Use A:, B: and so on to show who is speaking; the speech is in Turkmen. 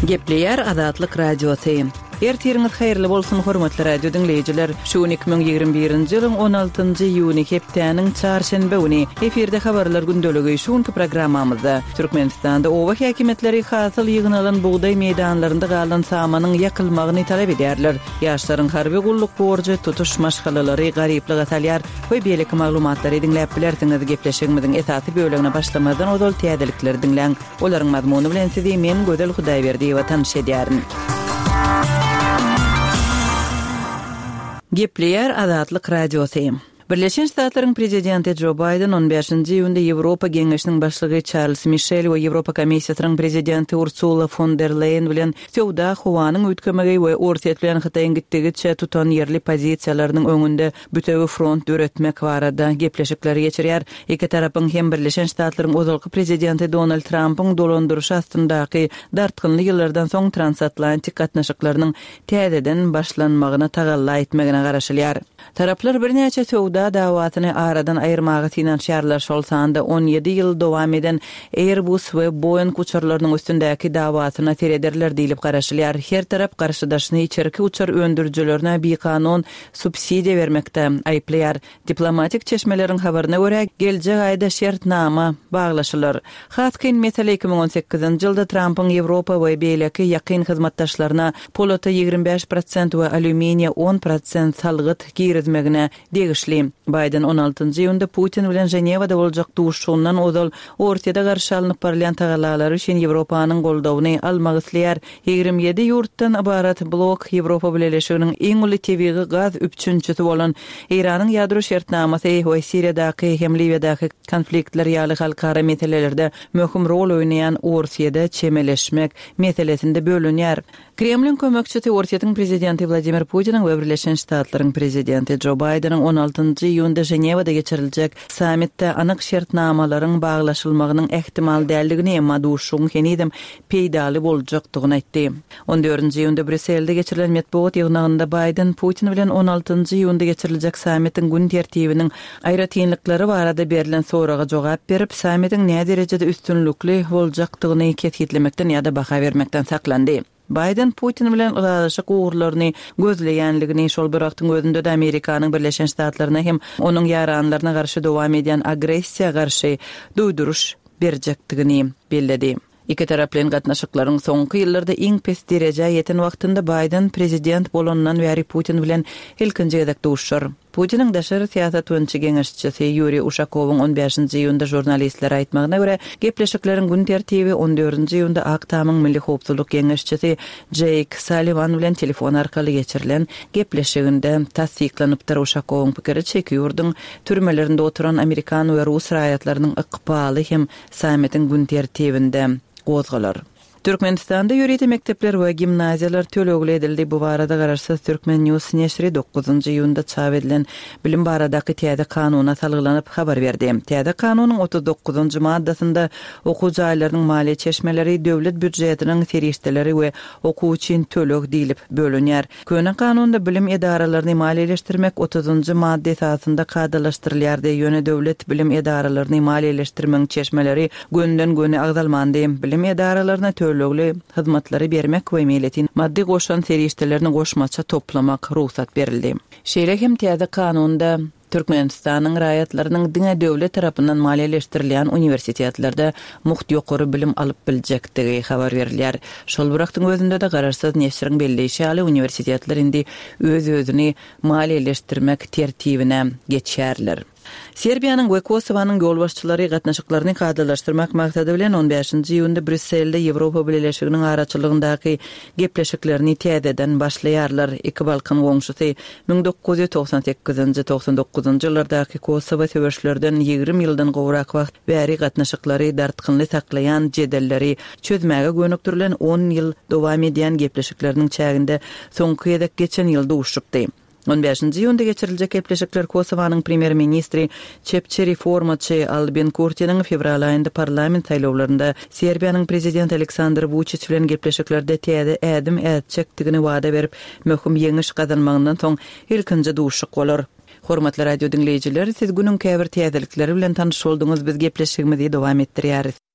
A: Gepleýär Azatlyk Radiosy. Ertiriňiz haýyrly bolsun, hormatly radio diňleýjiler! Şu gün 2021-nji ýylyň 16-njy iýuny, hepdäniň çarşenbe güni. Efirde Habarlar gündeligi. Şu günki programmamyzda, Türkmenistanda oba häkimiýetleri hasyl ýygnalan bugdaý meýdanlarynda galan samanyň ýakylmagyny talap edýärler. Ýaşlaryň harby gulluk borjy tutuş maşgalalary garyplyga salýar we beýleki maglumatlary diňläp bilersiňiz. Gepleşigimiziň esasy bölegine başlamazdan ozal täzelikleri diňläň. Olaryň mazmuny bilen sizi men Gözel Hudaýberdiýewa tanyş edýärin. Gepleýär Azatlyk Radiosy. Birleşen Ştatlaryň Prezidenti Jo Baýden on bäşinji iýunda Ýewropa Geňeşiniň başlygy Çarlz Mişel we Ýewropa Komissiýasynyň Prezidenti Ursula fon der Leýen bilen söwda, howanyň üýtgemegi we Orsýet bilen Hytaýyň gitdigiçe tutanýerli pozisiýalarynyň öňünde bütewi front döretmek barada gepleşikleri geçirýär. Iki tarapyň hem Birleşen Ştatlaryň ozalky Prezidenti Donald Trampyň dolandyryşy astyndaky dartgynly ýyllardan soň transatlantik gatnaşyklarynyň täzeden başlanmagyna tagalla etmegine garaşylýar. Taraplar birnäçe söwda dawasyny aradan aýyrmaga synanyşýarlar, şol sanda 17 ýyl dowam eden Airbus we Boeing uçarlarynyň üstündäki dawasyna serederler diýlip garaşylýar. Her tarap garşydaşyny içerki uçar öndürijilerine bikanun subsidiýa bermekde aýyplaýar. Diplomatik çeşmeleriň habaryna görä, geljek aýda şertnama baglaşylar. Has kyn mesele 2018-nji ýylda Trampyň Ýewropa we beýleki ýakyn hyzmatdaşlaryna polata 25 prosent we alýuminiýe 10 prosent salgyt girizmegine degişli. Baýden on altynjy iýunda Putin bilen Ženewada boljak duşuşygyndan ozal Orsýete garşy alnyp barylýan tagallalary üçin Ýewropanyň goldawyny almak isleýär. 27 ýurtdan ybarat blok Ýewropa Bileleşiginiň iň uly tebigy gaz üpjünçisi bolan Eýranyň ýadro şertnamasy we Siriýadaky hem Liwiýadaky konfliktler ýaly halkara meselelerde möhüm rol oýnaýan Orsýede çemeleşmek meselesinde bölünýär. Kremliň kömekçisi Orsýetiň prezidenti Wladimir Putiniň we Birleşen Ştatlaryň prezidenti Jo Baýdeniň on altynjy iýunda Ženewada geçiriljek sammitde anyk şertnamalaryň baglaşylmagynyň ähtimal däldigini, emma duşuşygyň henizem peýdaly boljakdygyny aýtdy. On dördünji iýunda Brýusselde geçirilen metbugat ýygnagynda Baýden Putin bilen on altynjy iýunda geçiriljek sammitiň gün tertibiniň aýratynlyklary barada berlen soraga jogap berip, sammitiň näderejede üstünlikli boljakdygyny kesgitlemekden ýa-da baha bermekden saklandy. Baýden Putin bilen ylalaşyk ugurlaryny gözleýänligini, şol bir wagtyň özünde-de Amerikanyň Birleşen Ştatlaryna hem onuň ýaranlaryna garşy dowam edýän agressiýa garşy duýduryş berjekdigini belledi. Ikitaraplaýyn gatnaşyklaryň soňky ýyllarda iň pes derejä ýeten wagtynda Baýden prezident bolanyndan bäri Putin bilen ilkinji gezek duşuşar. Putiniň daşary syýasat boýunça geňeşçisi Ýuriý Uşakowyň on bäşinji iýunda žurnalistlere aýtmagyna görä, gepleşikleriň gün tertibi on dördünji iýunda Ak Tamyň milli howpsuzlyk geňeşçisi Jeýk Salliwan bilen telefon arkaly geçirilen gepleşiginde tassyklanypdyr. Uşakowyň pikiriçe, iki ýurduň türmelerinde oturan amerikan we rus raýatlarynyň ykbaly hem Sammitiň gün tertibinde gozgalar. Türkmenistanda ýörite mekdepler we gimnaziýalar tölegli edildi. Bu barada garaşsyz Turkmen News neşiri dokuzynjy iýunda çap edilen bilim baradaky täze kanuna salgylanyp habar berdi. Täze kanunyň 39-njy maddasynda okuw jaýlarynyň maliýe çeşmeleri döwlet býujetiniň serişdeleri we okuw üçin töleg diýlip bölünýär. Köne kanunda bilim edaralaryny maliýeleşdirmek otuzynjy madda esasynda kadalaşdyrylýardy, ýöne döwlet bilim edaralaryny maliýeleşdirmegiň çeşmeleri gönüden-göni agzalmandy. Bilim edaralaryna tölegli hyzmatlary bermek we meýletin maddy goşant serişdelerini goşmaça toplamak rugsat berildi. Şeýle hem täze kanunda Türkmenistanyň raýatlarynyň diňe döwlet tarapyndan maliýeleşdirilýän uniwersitetlerde mugt ýokary bilim alyp biljekdigi habar berilýär. Şol bir wagtyň özünde-de garaşsyz neşiriň belleýşi ýaly, uniwersitetler indi öz-özüni maliýeleşdirmek tertibine geçýärler. Serbiýanyň we Kosowanyň ýolbaşçylary gatnaşyklaryny kadalaşdyrmak maksady bilen on bäşinji iýunda Brýusselde Ýewropa Bileleşiginiň araçylygyndaky gepleşiklerini täzeden başlaýarlar. Iki Balkan goňşusy 1998-nji, 99-njy ýyllardaky Kosowa söweşlerden 20 ýyldan gowrak wagt bäri gatnaşyklary dartgynly saklaýan jedelleri çözmäge gönükdirilen on ýyl dowam edýän gepleşikleriniň çäginde soňky gezek geçen ýyl duşuşypdy. On bäşinji iýunda geçiriljek gepleşikler Kosowanyň premýer-ministri, çepçi reformaçy Albin Kurtiniň fewral aýynda parlament saýlawlarynda Serbiýanyň prezidenti Aleksandr Wuçiç bilen gepleşiklerde täze ädim ätjekdigini wada berip, möhüm ýeňiş gazanmagyndan soň ilkinji duşuşyk bolar. Hormatly radio diňleýjiler, siz günüň käbir täzelikleri bilen tanyş bolduňyz, biz gepleşigimizi dowam etdirýäris.